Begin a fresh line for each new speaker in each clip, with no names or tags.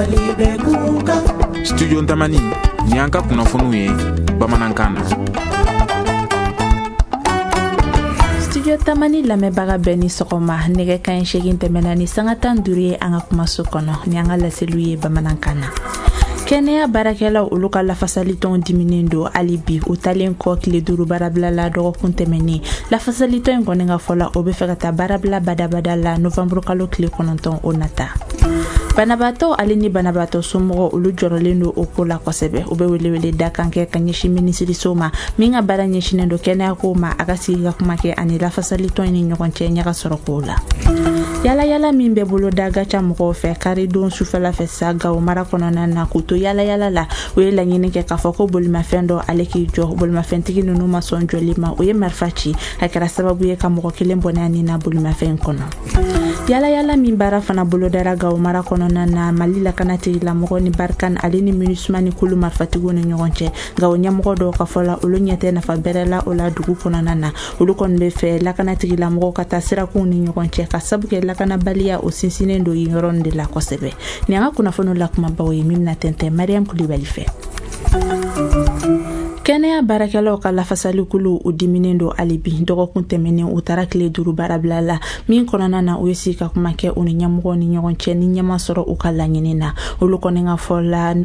Mali bɛ kunkan.
Studio Tamani, ni an ka kunnafoniw ye bamanankan na.
Studio Tamani lamɛnbaga bɛɛ ni sɔgɔma. Nɛgɛ kanɲɛ 8 tɛmɛna ni sanga 15 ye an ka kumaso kɔnɔ ni an ka laseliw ye bamanankan na. Kɛnɛya baarakɛlaw olu ka lafasalitɔn diminen don hali bi, u talen kɔ tile 5 baarabila la dɔgɔkun tɛmɛnen. Lafasalitɔn in kɔni ka fɔ la, o bɛ fɛ ka taa baarabila badabada la novanburu kalo tile 9 o nata. Banabaatɔ ale ni banabaatɔ somɔgɔw olu jɔrɔlen don o ko la kosɛbɛ. U bɛ welewele da kan kɛ ka ɲɛsin minisiriso ma min ka baara ɲɛsinnen don kɛnɛyako ma, a ka sigi ka kuma kɛ ani lafasalitɔn in ni ɲɔgɔn cɛ ɲaga sɔrɔ kow la. Yala yala min bɛ bolo da Gaca mɔgɔw fɛ karidon sufɛla fɛ sa Gawo mara kɔnɔna na k'u to yala yala la, u ye laɲini kɛ k'a fɔ ko bolimafɛn dɔ ale k'i jɔ. Bolimafɛntigi ninnu ma sɔn jɔli ma, u ye marifa ci, a kɛra sababu ye ka mɔgɔ kelen bɔnɛ a ni na bolimafɛn kɔnɔ. Yala yala min baara fana bolodara Gawo mara kɔnɔna na, Mali lakana tigilamɔgɔ ni Barkhane ale ni MINUSMA ni kulu marifatigiw ni ɲɔgɔn cɛ. Gawo ɲɛmɔgɔ dɔw ka fɔ la, olu ɲɛ tɛ nafa bɛrɛ la o la dugu kɔnɔna na. Olu kɔni bɛ fɛ lakana tigilamɔgɔw ka taa sirakunw ni ɲɔgɔn cɛ ka sabu kɛ lakanabaliya o sinsinnen don yen yɔrɔ de la kosɛbɛ. Nin an ka kunnafoniw la kumabaw ye min bɛna tɛntɛn Mariam Kulibali fɛ. Kɛnɛya baarakɛlaw ka lafasalikulu u diminen don hali bi. Dɔgɔkun tɛmɛnen u taara tile 5 baarabila la min kɔnɔna na, u ye sigi ka kuma kɛ u ni ɲɛmɔgɔw ni ɲɔgɔn cɛ ni ɲɛma sɔrɔ u ka laɲini na. Olu kɔni ka fɔ la,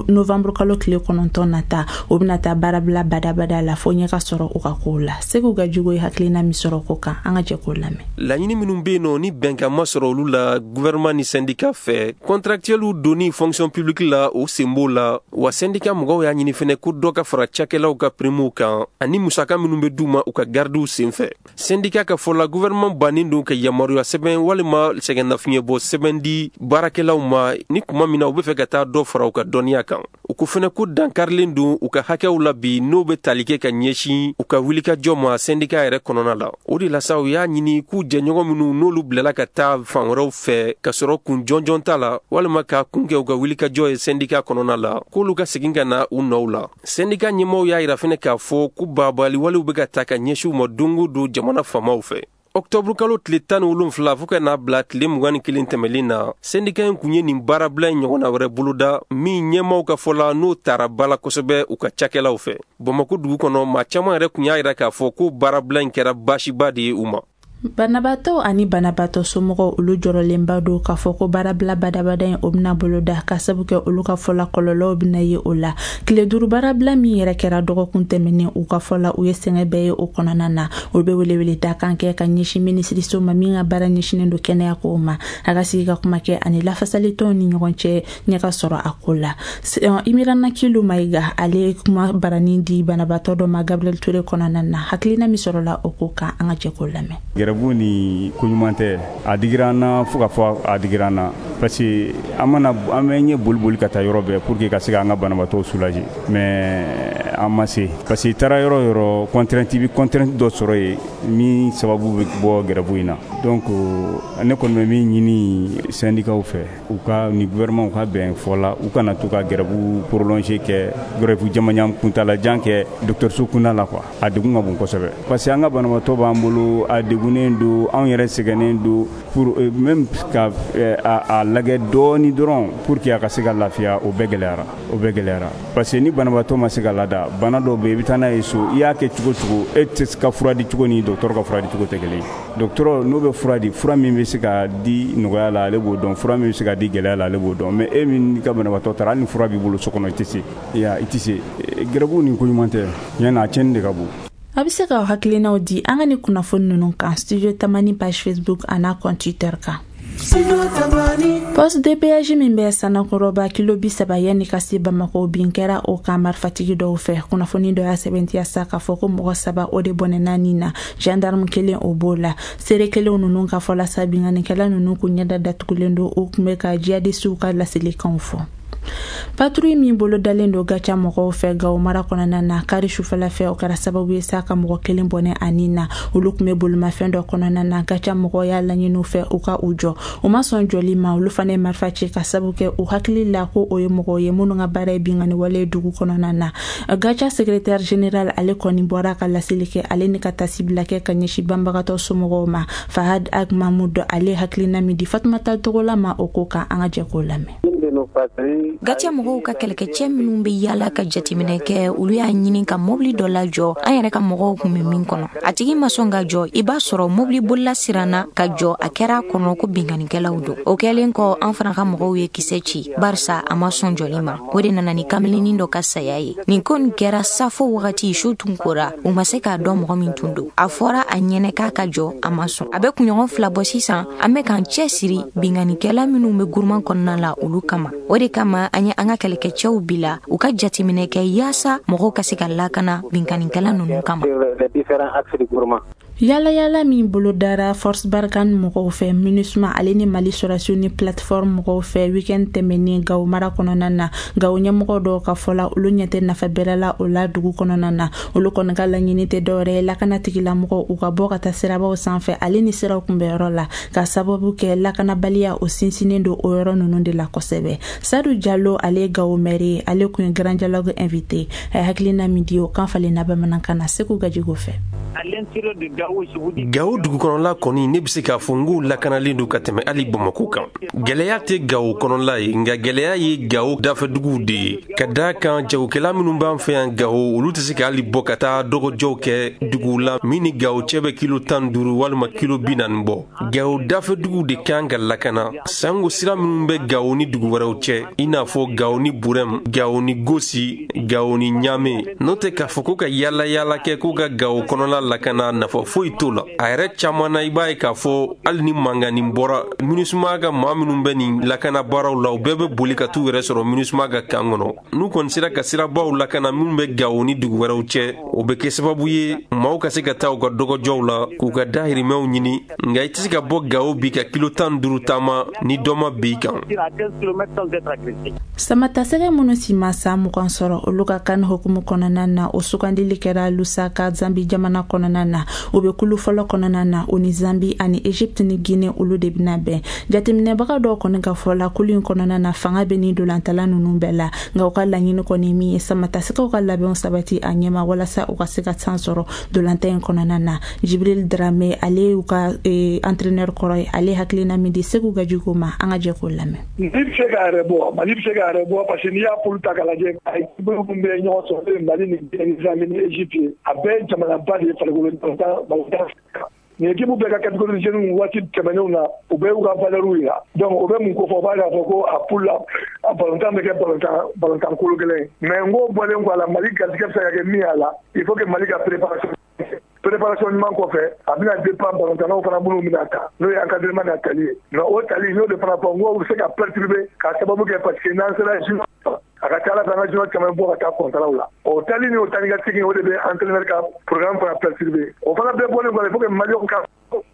novanburu kalo tile 9 nata, u bɛna taa baarabila badabada la fo ɲɛ ka sɔrɔ u ka kow la. Segu ka jugu ye hakilina min sɔrɔ ko kan, an ka jɛ k'o lamɛn.
Laɲini minnu bɛ yen nɔ ni bɛnkan ma sɔrɔ olu la gouvernement ni syndicat fɛ, contractuels donni fonction publique la, o sen b'o la. Wa syndicat mɔgɔw y'a ɲini fɛnɛ ko dɔ ka fara cakɛlaw ka primew kan ani musaka minnu bɛ d'u ma u ka gardiw senfɛ. Syndicat ka fɔ la, gouvernement bannen don ka yamaruya sɛbɛn walima sɛgɛnnafiɲɛbɔ sɛbɛn di baarakɛlaw ma ni kuma min na u bɛ fɛ ka taa dɔ fara u ka dɔnniya kan. U ko fɛnɛ ko dankarilen don u ka hakɛw la bi n'o bɛ tali kɛ ka ɲɛsin u ka wulikajɔ ma syndicat yɛrɛ kɔnɔna la. O de la sa, u y'a ɲini k'u jɛɲɔgɔn minnu n'olu bilala ka taa fan wɛrɛw fɛ ka sɔrɔ kun jɔnjɔn t'a la walima k'a kun kɛ u ka wulikajɔ ye syndicat kɔnɔna la, k'olu ka segin ka na u nɔw la. Syndicat ɲɛmaaw y'a yira fɛnɛ k'a fɔ ko baabali walew bɛ ka ta ka ɲɛsin u ma don o don jamana faamaw fɛ. Octobre kalo tile 17 fo ka n'a bila tile 21 tɛmɛlen na, syndicat in kun ye nin baarabila in ɲɔgɔnna wɛrɛ boloda min ɲɛmaaw ka fɔ la n'o tara ba la kosɛbɛ u ka cakɛlaw fɛ. Bamakɔ dugu kɔnɔ, maa caman yɛrɛ kun y'a yira k'a fɔ ko baarabila in kɛra baasiba de ye u ma.
Banabaatɔ ani banabaatɔ somɔgɔw olu jɔrɔlenba don k'a fɔ ko baarabila badabada in o bɛna boloda ka sabu kɛ olu ka fɔ la kɔlɔlɔw bɛna ye o la. Tile 5 baarabila min yɛrɛ kɛra dɔgɔkun tɛmɛnen, u ka fɔ la u ye sɛgɛn bɛɛ ye o kɔnɔna na. Olu bɛ welewele da kan kɛ ka ɲɛsin minisiriso ma min ka baara ɲɛsinnen don kɛnɛya kow ma, a ka sigi ka kuma kɛ ani lafasalitɔnw ni ɲɔgɔn cɛ ɲɛ ka sɔrɔ a ko la. Imirana Kilu Mayiga ale ye kuma baranin di banabaatɔ dɔ ma Gabriel Touré kɔnɔna na. Hakilina min sɔrɔla o ko kan, an ka jɛ k'o lamɛn.
Gɛrɛbu ni ko ɲuman tɛ, a digira an na fo ka fɔ a digira an na, parce que an mana an bɛ ɲɛ boli boli ka taa yɔrɔ bɛɛ pour que ka se k'an ka banabaatɔw soulager, mais an ma se, parce que i taara yɔrɔ o yɔrɔ, contrainte, i bɛ contrainte dɔ sɔrɔ yen min sababu bɛ bɔ gɛrɛbu in na. Donc ne kɔni bɛ min ɲini syndicat fɛ, u ka ni gouvernement u ka bɛn fɔ la, u kana to ka gɛrɛbu prolonger kɛ, gɛrɛbu jamajan kuntalajan kɛ dɔgɔtɔrɔso kunda la quoi. A degun ka bon kosɛbɛ, parce que an ka banabaatɔ b'an bolo, a degunnen don, anw yɛrɛ sɛgɛnnen don, pour même ka a lajɛ dɔɔni dɔrɔn pour que a ka se ka lafiya, o bɛɛ gɛlɛyara, o bɛɛ gɛlɛyara, parce que ni banabaatɔ ma se ka lada, bana dɔw bɛ yen i bɛ taa n'a ye so, i y'a kɛ cogo cogo, e tɛ se ka fura di cogo ni dɔgɔtɔrɔ ka fura di cogo tɛ kelen ye. Dɔgɔtɔrɔ n'o bɛ fura di, fura min bɛ se ka di nɔgɔya la, ale b'o dɔn, fura min bɛ se ka di gɛlɛya la, ale b'o dɔn, mais e min ka banabaatɔ taara, hali ni fura b'i bolo so kɔnɔ, i tɛ se, i tɛ se. Gɛrɛbu ni ko ɲuman tɛ, tiɲɛ na a tiɲɛni de ka bon.
A bɛ se k'aw hakilinaw di an ka ni kunnafoni ninnu kan Studio Tamani page Facebook a n'a compte Twitter kan. Poste de péage min bɛ Sanakɔrɔba kilo 30 yanni ka se Bamakɔ, bin kɛra o kan marifatigi dɔw fɛ. Kunnafoni dɔ y'a sɛbɛntiya sa k'a fɔ ko mɔgɔ 3 o de bɔnɛna nin na, gendarme kelen o b'o la. Seere kelenw ninnu ka fɔ la sa, binkannikɛla ninnu kun ɲɛda datugulen don, u tun bɛ ka jihadisiw ka laselikanw fɔ. Patrouille min bolo dalen don Gaca mɔgɔw fɛ Gawo mara kɔnɔna na kari sufɛla fɛ, o kɛra sababu ye sa ka mɔgɔ kelen bɔnɛ a nin na. Olu tun bɛ bolimafɛn dɔ kɔnɔna na. Gaca mɔgɔw y'a laɲini u fɛ u ka u jɔ, u ma sɔn jɔli ma. Olu fana ye marifa ci ka sababu kɛ u hakili la ko o ye mɔgɔw ye minnu ka baara ye binkanni wale ye dugu kɔnɔna na. Gaca secrétaire général ale kɔni bɔra ka laseli kɛ, ale ni ka tasibila kɛ ka ɲɛsin banbagatɔ somɔgɔw ma. Fahad Ag Mahmoud ale hakilina min di Fatumata Togola ma o ko kan, an ka jɛ k'o lamɛn.
GATIA mɔgɔw ka kɛlɛkɛcɛ minnu bɛ yaala ka jateminɛ kɛ, olu y'a ɲini ka mobili dɔ lajɔ an yɛrɛ ka mɔgɔw tun bɛ min kɔnɔ. A tigi ma sɔn ka jɔ, i b'a sɔrɔ mobili bolila siranna ka jɔ, a kɛra a kɔnɔ ko binkannikɛlaw don. O kɛlen kɔ, an fana ka mɔgɔw ye kisɛ ci, barisa a ma sɔn jɔli ma. O de nana ni kamalennin dɔ ka saya ye. Nin ko nin kɛra safo wagati, su tun kora, u ma se k'a dɔn mɔgɔ min tun don. A fɔra a ɲɛnɛ k'a ka jɔ, a ma sɔn. A bɛ kunɲɔgɔn 2 bɔ sisan, an bɛ k'an cɛ siri binkannikɛla minnu bɛ guruma kɔnɔna la olu kama. O de kama an ye an ka kɛlɛkɛcɛw bila u ka jateminɛ kɛ yaasa mɔgɔw ka se ka lakana binkannikɛla ninnu kama.
Yala yala min bolodara Force Barkhane mɔgɔw fɛ, MINUSMA ale ni Mali sɔrɔdasiw ni plateforme mɔgɔw fɛ weekend tɛmɛnen Gawo mara kɔnɔna na, Gawo ɲɛmɔgɔ dɔw ka fɔ la, olu ɲɛ tɛ nafa bɛrɛ la o la dugu kɔnɔna na. Olu kɔni ka laɲini tɛ dɔwɛrɛ ye lakana tigilamɔgɔw u ka bɔ ka taa sirabaw sanfɛ ale ni siraw kunbɛyɔrɔ la, ka sababu kɛ lakanabaliya o sinsinnen don o yɔrɔ ninnu de la kosɛbɛ. Sadu Jalo, ale ye Gawo maire ye, ale kun ye Grand Dialogue invité. A ye hakilina min di, o kan falenna bamanankan na Segu Gajigo fɛ.
Gawo dugukɔnɔla kɔni, ne bɛ se k'a fɔ n k'o lakanalen don ka tɛmɛ hali Bamako kan. Gɛlɛya tɛ Gawo kɔnɔla ye, nka gɛlɛya ye Gawo dafɛduguw de ye. Ka d'a kan jagokɛla minnu b'an fɛ yan Gawo, olu tɛ se ka hali bɔ ka taa dɔgɔjɔw kɛ duguw la min ni Gawo cɛ bɛ kilo 15 walima kilo 40 bɔ. Gawo dafɛduguw de kan ka lakana, sango sira minnu bɛ Gawo ni dugu wɛrɛw cɛ, i n'a fɔ Gawo ni Burɛm, Gawo ni Gosi, Gawo ni Ɲame. N'o tɛ k'a fɔ ko ka yaala yaala kɛ k'u ka Gawo kɔnɔla lakana, nafa foyi t'o la. A yɛrɛ caman na, i b'a ye k'a fɔ hali ni mankannin bɔra, MINUSMA ka maa minnu bɛ nin lakana baaraw la, u bɛɛ bɛ boli ka t'u yɛrɛ sɔrɔ MINUSMA ka kan kɔnɔ. N'u kɔni sera ka sirabaw lakana minnu bɛ Gawo ni dugu wɛrɛw cɛ, o bɛ kɛ sababu ye maaw ka se ka taa u ka dɔgɔjɔw la k'u ka dahirimɛw ɲini. Nka i tɛ se ka bɔ Gawo bi ka kilo 15 taama ni dɔ ma bin i kan.
Samatasɛgɛ minnu si ma san 20 sɔrɔ, olu ka kan hukumu kɔnɔna na, o sugandili kɛra Lusaka, Zambi jamana kɔnɔna na. O bɛ kulu fɔlɔ kɔnɔna na, o ni Zambi ani Egypte ni Guinée olu de bɛna bɛn. Jateminɛbaga dɔw kɔni ka fɔ la, kulu in kɔnɔna na fanga bɛ ni dolantala ninnu bɛɛ la, nka u ka laɲini kɔni min ye samatasɛgɛw ka labɛnw sabati a ɲɛma walasa u ka se ka san sɔrɔ dolanta in kɔnɔna na. Jibril Drame, ale y'u ka entraîneur kɔrɔ ye, ale hakilina min di Segu Gajigo ma, an ka jɛ k'o lamɛn.
Mali bɛ se k'a yɛrɛ bɔ, Mali bɛ se k'a yɛrɛ bɔ, parce que n'i y'a poule ta k'a lajɛ, a équipe min bɛ ɲɔgɔn sɔrɔ, Mali ni Zambi ni Egypte ye, a bɛɛ ye jamanaba de ye farikolo balontan. Nin équipe bɛɛ ka catégorie jeunes waati tɛmɛnenw na, u bɛɛ y'u ka valeur yira. Donc o bɛ mun ko fɔ? O b'a yira fɔ ko a poule la, a balontan bɛ kɛ balontan kolo gɛlɛn ye. Mais n ko bɔlen kɔ a la, Mali garisɛgɛ bɛ se ka kɛ min y'a la, il faut que Mali ka préparation ɲuman kɔfɛ, a bɛna dépend balontannaw fana minnu bɛna ta, n'o ye encadrement n'a tali ye. Mais o tali, n y'o de fana fɔ, n ko bɛ se ka perturber k'a sababu kɛ parce que n'an sera junior, a ka ca ala fɛ an ka junior caman bɔ ka taa kɔntaraw la. O tali ni o tali ka segin, o de bɛ entraîneur ka programme fana perturber. O fana bɛɛ bɔlen kɔ, il faut que Maliyɛnw ka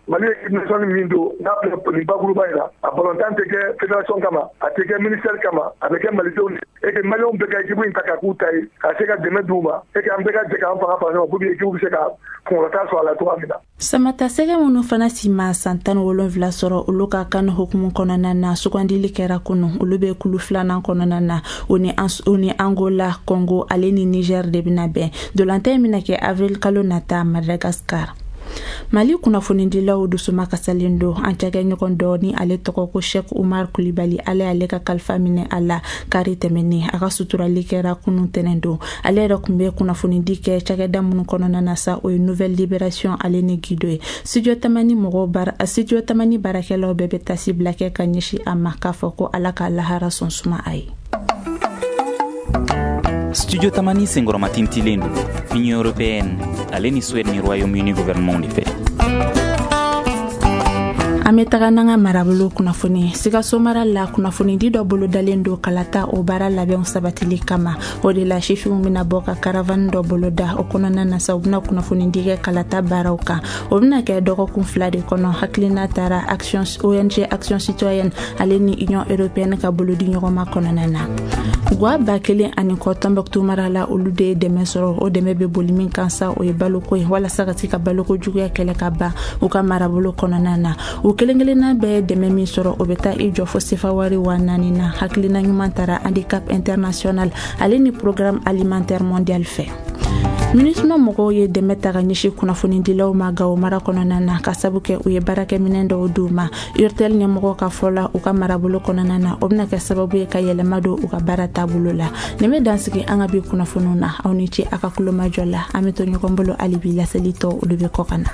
Mali équipe nationale min don n'a filɛ nin bakuruba in na, a balontan tɛ kɛ fédération kama, a tɛ kɛ ministère kama, a bɛ kɛ malidenw de, et que Maliyɛnw bɛɛ ka équipe in ta ka k'u ta ye, ka se ka dɛmɛ d'u ma, et que an bɛɛ ka jɛ k'an fanga fara ɲɔgɔn kan pour que équipe bɛ se ka kunkɔrɔta sɔrɔ a la cogoya min na.
Samatasɛgɛ minnu fana si ma san 17 sɔrɔ, olu ka kan hukumu kɔnɔna na, sugandili kɛra kunu. Olu bɛ kulu filanan kɔnɔna na, o ni Angola, Congo ale ni Niger de bɛna bɛn. Dolantan in bɛna kɛ avril kalo nata Madagascar. Mali kunnafonidilaw dusuma kasalen don. An cakɛɲɔgɔn dɔ ni ale tɔgɔ ko Sheikh Umar Kulibali, ale y'ale ka kalifa minɛ a la kari tɛmɛnen. A ka suturali kɛra kunun tɛnɛn don. Ale yɛrɛ tun bɛ kunnafonidi kɛ cakɛda minnu kɔnɔna na sa, o ye Nouvelle Libération ale ni Guido ye. Studio Tamani mɔgɔw baara, Studio Tamani baarakɛlaw bɛɛ bɛ tasi bila kɛ ka ɲɛsin a ma, k'a fɔ ko Ala ka lahara sɔn suma a ye.
Studio Tamani senkɔrɔmatintilen don Union européenne ale ni Suède ni Royaume-Uni gouvernement de fɛ.
An bɛ taga n'an ka marabolo kunnafoni. Sikaso mara la, kunnafonidi dɔ bolodalen don kalata o baara labɛnw sabatili kama. O de la sifinw bɛna bɔ ka caravane dɔ boloda. O kɔnɔna na sa, u bɛna kunnafonidi kɛ kalata baaraw kan. O bɛna kɛ dɔgɔkun 2 de kɔnɔ. Hakilina taara action ONG Action Citoyenne ale ni Union européenne ka bolodi ɲɔgɔnma kɔnɔna na. Gwa 1000 ani kɔ Tombouctou mara la, olu de ye dɛmɛ sɔrɔ. O dɛmɛ bɛ boli min kan sa, o ye baloko ye, walasa ka se ka baloko juguya kɛlɛ ka ban u ka marabolo kɔnɔna na. U kelen kelenna bɛɛ dɛmɛ min sɔrɔ, o bɛ taa i jɔ fo sefa wari 4000 na. Hakilina ɲuman taara Handicap International ale ni Programme Alimentaire Mondial fɛ. MINUSMA mɔgɔw ye dɛmɛ ta ka ɲɛsin kunnafonidilaw ma Gawo mara kɔnɔna na, ka sabu kɛ u ye baarakɛminɛn dɔw d'u ma. Urtel ɲɛmɔgɔw ka fɔ la, u ka marabolo kɔnɔna na, o bɛna kɛ sababu ye ka yɛlɛma don u ka baara taabolo la. Nin bɛ dansigi an ka bi kunnafoniw na. Aw ni ce a ka kulomajɔ la. An bɛ to ɲɔgɔn bolo hali bi, laseli tɔ olu bɛ kɔ ka na.